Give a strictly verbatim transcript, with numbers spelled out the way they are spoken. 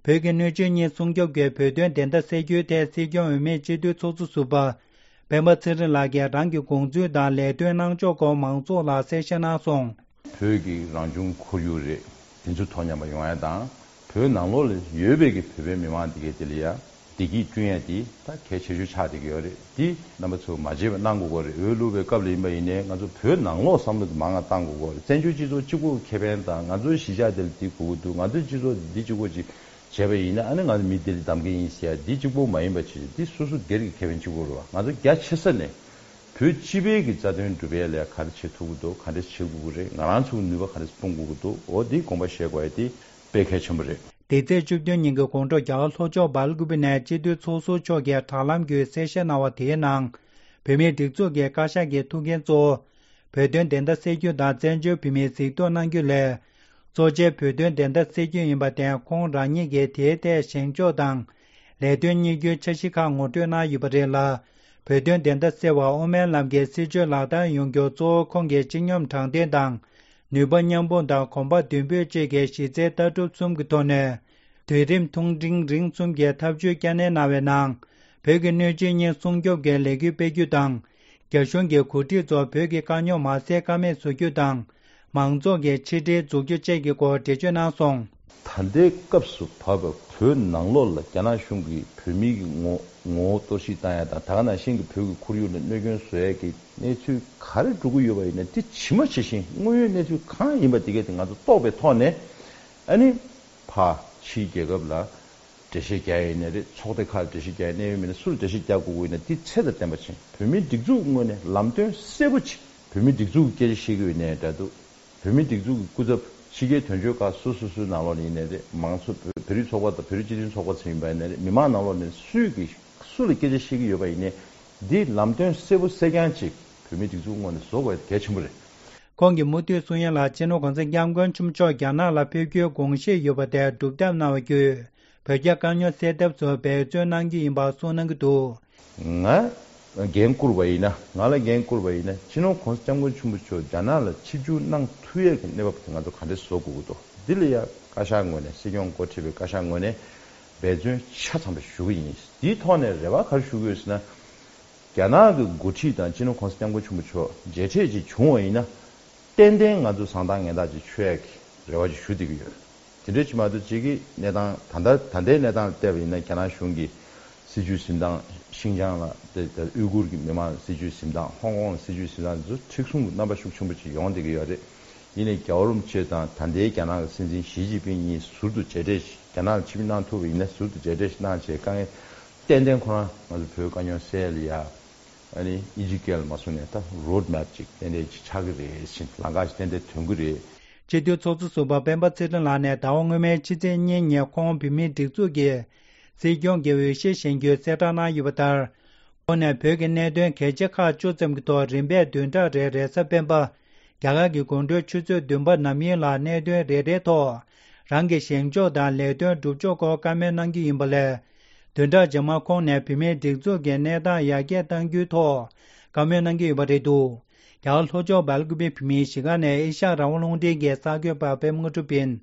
བོད་ཀྱི་སྣོད་བཅུད་གཉིས་སྲུང་སྐྱོབ་ཀྱི་བོད་དོན་བདེན་མཐའ་གསལ་རྒྱུའི་ཐད་སྲིད་སྐྱོང་འོས་མིའི་སྤྱི་འཐུས་ཚོགས་གཙོ་ཟུར་པ་སྤེན་པ་ཚེ་རིང་ལགས་ཀྱིས་རང་གི་དགོངས་ཚུལ་དང་ལས་དོན་གནང་ཕྱོགས་སྐོར་མང་ཚོགས་ལ་གསལ་བཤད་གནང་སོང་། བོད་ཀྱི་རང་བྱུང་ཁོར་ཡུག་རེད། དེ་ཚོ་ཐོག་མཉམ་པ་ཡོང་ཡ་དང་། བོད་ནང་ལོགས་ལ་ཡོད་པའི་གི་བོད་པའི་མི་མང་དེ་གའི་དེ་ལ་ཡ་བདེ་སྐྱིད་བསྐྲུན་ཡ་དེ་ད་གལ་ཆེ་ཤོས་ཆགས་བསྡད་ཀྱི་ཡོད་རེད། དེ་རྣམ་པ་ཚོས་མ་བརྗེད་པ་གནང་དགོས་ཀྱི་རེད། འོས་བླུགས་པའི་སྐབས་ལ་ཡིན་པ་ཡིན་ནའི་ང་ཚོ་བོད་ནང་ལོགས་བསམ་བློ་དེ་མང་ང་བཏང་དགོས་ཀྱི་རེད། བཙན་བྱོལ་སྤྱི་ཚོགས་གཅིག་པོ་ཁེ་ཕན་དང་ང་ཚོའི་གཞིས་ཆགས་དེ་ལ་དེ་དགོས་ཀྱི་འདུག་ང་ཚོའི་སྤྱི་ཚོགས་འདི་གཅིག་པོ་ཅིག་བྱས་པ་ཡིན་ན་ཨ་ནི་ང་ཚོ་མི་དེ་ལ་གདམ་གྱི་ཡིན་ཟེར་ཡ་འདི་གཅིག་པོ་མ་ཡིན་པ་བྱས་ཏེ་འདི་སོ་སོ་སྒེར་གྱི་ཁེ་ཕན་གཅིག་པོ་རེད་བ། ང་ཚོ་རྒྱ་ཆེ་ས་ནས་བོད་སྤྱི་པའི་གི་རྩ་དོན་སྒྲུབ་ཡ་ལ་ག་རེ་བྱེད་ཐུབ་ཀྱི་འདུག་ག་འདྲ་བྱེད་དགོས་ཀྱི་རེད། ང་རང་ཚོའི་ནུས་པ་ག་རེ་སྤུངས་དགོས་ཀྱི་འདུག་འོ་འདི་དགོངས་པ་བཞེས་དགོས་ཡ་དེ་དཔེ་གལ་ཆེན་པོ་རེད། འདི་ཚེས་བཅུ་བདུན་ཉིན་གྱི་དགོང་དྲོ་རྒྱ་གར་ལྷོ་ཕྱོགས་སྦེལ་ཀུ་པེ་ནས་སྤྱི་འཐུས་ཚོགས་ཟུར་མཆོག་གིས་དྲ་ལམ་བརྒྱུད་གསལ་བཤད་གནང་བ་དེའི་ནང་། བོད་མིའི་སྒྲིག་འཛུགས་ཀྱི་བཀའ་ཤག་གི་ཐུགས་འགན་གཙོ་བོ། བོད་དོན་བདེན་མཐའ་གསལ་རྒྱུ་དང་བཙན་བྱོལ་བོད་མིའི་གཟིགས་རྟོག་གནང་རྒྱུ་ལས། གཙོ་ཆེ་བོད་དོན་བདེན་མཐའ་གསལ་རྒྱུ་ཡིན་པ་དེ་ཁོང་རང་ཉིད་ཀྱིས་དེའི་ཐད་བཞེངས་ཕྱོགས་དང་། ལས་དོན་གཉེར་རྒྱུའི་འཆར་གཞི་ཁག་ངོ་སྤྲོད་གནང་ཡོད་པ་རེད་ལ། བོད་དོན་བདེན་མཐའ་གསལ་བར་དབུ་མའི་ལམ་གྱི་སྲིད་བྱུས་ལག་བསྟར་ཡོང་རྒྱུར་གཙོ་བོ་ཁོང་གི་སྤྱི་སྙོམས་དྲང་བདེན་དང་། ནུས་པ་མཉམ་སྤུངས་དང་གོམ་པ་མདུན་སྤོས་བཅས་ཀྱི་གཞི་རྩའི་ལྟ་གྲུབ་གསུམ་གྱི་ཐོག་ནས། དུས་རིམ་ཐུང་འབྲིང་རིང་གསུམ་གྱི་ཐབས་ཇུས་བསྐྱར་ནན་གནང་བའི་ནང་། བོད་ཀྱི་སྣོད་བཅུད་གཉིས་སྲུང་སྐྱོབ་ཀྱི་ལས་འགུལ་སྤེལ་རྒྱུ་དང་། རྒྱ་གཞུང་གི་འགོ་ཁྲིད་ཚོ་བོད་ཀྱི་དཀའ་རྙོག་མ་སེལ་ཀ་མེད་བཟོ་རྒྱུ་དང་། མང་ཚོགས་ཀྱི་ཕྱི་འབྲེལ་འཛུགས་རྒྱུ་བཅས་ཀྱི་སྐོར་འགྲེལ་བརྗོད་གནང་སོང་། ད་ལྟའི་སྐབས་སུ་བབས་པའི་བོད་ནང་ལོགས་ལ་རྒྱ་ནག་གཞུང་གིས་བོད་མིའི་གི་ངོ་ངོ་བོ་གཏོར་བཤིག་བཏང་ཡ་དང་ད་ག་ནང་བཞིན་གྱི་བོད་ཀྱི་ཁོར་ཡུག་ལ་གནོད་སྐྱོན་བཟོ་ཡ་གི་གནས་ཚུལ་ག་རེ་འགྲོ་གི་ཡོད་པ་ཡིན་ན་དེ་ཇི་མ་ཇི་བཞིན་དངོས་ཡོད་གནས་ཚུལ་གང་ཡིན་པ་དེ་གས་དེ་ང་ཚོ་རྟོགས་པའི་ཐོག་ནས་ཨ་ནི་ཕ་ཕྱིའི་རྒྱལ་ཁབ་ལ་འགྲེལ་བཤད་རྒྱག་ཡ་ཡིན་ན་རེད། ཚོགས་སྡེ་ཁག་ལ་འགྲེལ་བཤད་རྒྱག་ཡ་གནད་ཡོད་མི་སྣ་སུ་ལ་འགྲེལ་བཤད་རྒྱག་དགོས་ཀྱི་ཡིན་ན་དེ་ཚད་དང་ལྡན་པ་བྱས། བོད་མིའི་སྒྲིག་འཛུགས་ངོས་ནས་ལམ་སྟོན་གསལ་པོ་བྱས། བོད་མིའི་སྒྲིག་འཛུགས་ཀྱི་སྐད་ཆ་བཤད་ཀྱི་ཡོད་ནའི་འདྲ་འདུག་བོད་མིའི་སྒྲིག་འཛུགས་ཀྱི་སྐུ་ཚབ་ཕྱི་རྒྱལ་དོན་གཅོད་ཁག་སོ་སོ་སོའི་ནང་ལོགས་ནས་ཡིན་ནའི་རེད། མང་ཚོགས་བོད་བོད་རིགས་ཚོགས་པ་དང་བོད་རིགས་སྤྱི་མཐུན་ཚོགས་པ་ཚོ་ཡིན་པ་ཡིན་ནའི་རེད། མི་མང་ནང་ལོགས་ནས་སུས་ཀྱིས་སུ་ལ་སྐད་ཆ་བཤད་ཀྱི་ཡོད་པ་ཡིན་ནའི་འདི་ལམ་སྟོན་གསལ་པོ་གསལ་རྐྱང་ཅིག་བོད་མིའི་སྒྲིག་འཛུགས་ངོས་ནས་བཟོ་དགོས་གལ་ཆེན་པོ་རེད། ཁོང་གིས་མུ་མཐུད་གསུང་ཡ་ལ་སྤྱི་ནོར་གོང་ས་སྐྱབས་མགོན་ཆེན་པོ་མཆོག་རྒྱ་ནག་ལ་ཕེབས་རྒྱུའི་དགོངས་བཞེས་ཡོད་པ་དེ་སྒྲུབ་ཐབས་གནང་བ་བརྒྱུད་བོད་རྒྱ་དཀའ་རྙོག་སེལ་ཐབས་སུ་འབད་བརྩོན་གནང་རྒྱུ་ཡིན་པ་གསུངས་གནང་གི་འདུག་ང་འགན་བསྐུར་བ་ཡིན་ན། ང་ལ་འགན་བསྐུར་བ་ཡིན་ན་སྤྱི་ནོར་གོང་ས་སྐྱབས་མགོན་ཆེན་པོ་མཆོག་རྒྱ་ནག་ལ་ཆིབས་བསྒྱུར་གནང་ཐུབ་ཡས་ཀྱི་གནས་བབ་དེ་ང་ཚོ་ག་འདྲས་བཟོ་དགོས་ཀྱི་འདུག་འདི་ལ་ཡ་བཀའ་ཤག་ངོས་ནས་སྲིད་སྐྱོང་འགོ་ཁྲིད་པའི་བཀའ་ཤག་ངོས་ནས་འབད་བརྩོན་ཆ་ཚང་པ་ཞུ་གི་ཡིན། འདིའི་ཐོག་ནས་རེ་བ་ག་རེ་ཞུ་གི་ཡོད་ཟེར་ན། རྒྱ་ནག་གི་འགོ་ཁྲིད་དང་སྤྱི་ནོར་གོང་ས་སྐྱབས་མགོན་ཆེན་པོ་མཆོག་མཇལ་འཕྲད་ཅིག་བྱུང་བ་ཡིན་ན། ཏན་ཏན་ང་ཚོ་བཟང་ཐག་ངན་ཐག་ཅིག་ཆོད་ཡག་གི་རེ་བ་ཅིག་ཞུ་བསྡད་ཀྱི་ཡོད། དེ་འདྲ་ཅིག་མ་གཏོགས་གཅིག་གི་གནས་སྟངས་ད་ལྟ་ད་ལྟའི་གནས་སྟངས་ལ་བལྟས་པ་ཡིན་ན་རྒྱ་ནག་གཞུང་གིས་སྲིད་བྱུས་འཛིན་སྟངས་ཤིང་ཅང་ལ་དེ་དེ་ཨུའི་གུར་གྱི་མི་མང་ལ་སྲིད་བྱུས་འཛིན་སྟངས་ཧོང་ཀོང་ལ་སྲིད་བྱུས་འཛིན་སྟངས་དེ་ཚོ་མཁྲེགས་བཟུང་གི་རྣམ་པ་ཤུགས་ཆེན་པོ་ཅིག་ཡོང་བསྡད་ཀྱི་ཡོད་རེད། ཡིན་ནའི་རྒྱལ་བ་རིན་པོ་ཆེ་དང་ད་ལྟའི་རྒྱ་ནག་གི་སྲིད་འཛིན་ཞི་ཅིན་ཕིང་གཉིས་ཟུར་དུ་མཇལ་འཕྲད་ཞིག་རྒྱ་ནག་ལ་ཆིབས་བསྒྱུར་གནང་ཐུབ་པ་ཡིན་ན་ཟུར་དུ་མཇལ་འཕྲད་ཞིག་གནང་བྱས་དཀའ་ངལ་ཏན་ཏན་ཁོ་རང་ང་ཚོ་བོད་དཀའ་རྙོག་སེལ་ཡ། ཨ་ནི་དབྱིན་ཇིའི་སྐད་ལ་མ་སོང་ནས་ད་road map་ཅིག་ཏན་ཏན་ཅིག་ཆགས་ཀྱི་རེད་ཟེར། ལམ་ཁ་ཞིག་ཏན་ཏན་ཐོན་གྱི་རེད། སྤྱི་འཐུས་ཚོགས་གཙོ་ཟུར་པ་སྤེན་པ་ཚེ་རིང་ལགས་ནས་ཟླ་བ་སྔོན་མའི་ཕྱི་ཚེས་གཉིས་ཉིན་ཁོང་བོད་མིའི་སྒྲིག་འཛུགས་ཀྱི་སྲིད་སྐྱོང་གི་འོས་གཞིར་བཞེངས་རྒྱུའི་གསལ་བསྒྲགས་གནང་ཡོད་པ་ལྟར། ཁོང་ནས་བོད་ཀྱི་གནད་དོན་གལ་ཆེ་ཁག་བཅུ་ཙམ་གྱི་ཐོག་རིམ་པས་བདུན་ཕྲག་རེའི་རེས་གཟའ་སྤེན་པ། རྒྱ་གར་གྱི་དགོང་དྲོའི་ཆུ་ཚོད་བདུན་པ་ནམ་ཡིན་ལ་གནད་དོན་རེ་རེའི་ཐོག་རང་གི་བཞེངས་ཕྱོགས་དང་ལས་དོན་སྒྲུབ་ཕྱོགས་སྐོར་བཀའ་མོལ་གནང་རྒྱུ་ཡིན་པ་ལས། བདུན་ཕྲག་རྗེས་མར་ཁོང་ནས་བོད་མིའི་སྒྲིག་འཛུགས་ཀྱི་གནས་སྟངས་ཡར་རྒྱས་གཏང་རྒྱུའི་ཐོག་བཀའ་མོལ་གནང་གི་ཡོད་པ་རེད་འདུག་རྒྱ་གར་ལྷོ་ཕྱོགས་སྦེལ་ཀུ་པེ་བོད་མིའི་གཞིས་ཀ་ནས་ཨེ་ཤ་ཡ་རང་དབང་རླུང་འཕྲིན་གྱི་གསར་འགོད་པ་པད་མ་དངོས་གྲུབ་ཡིན།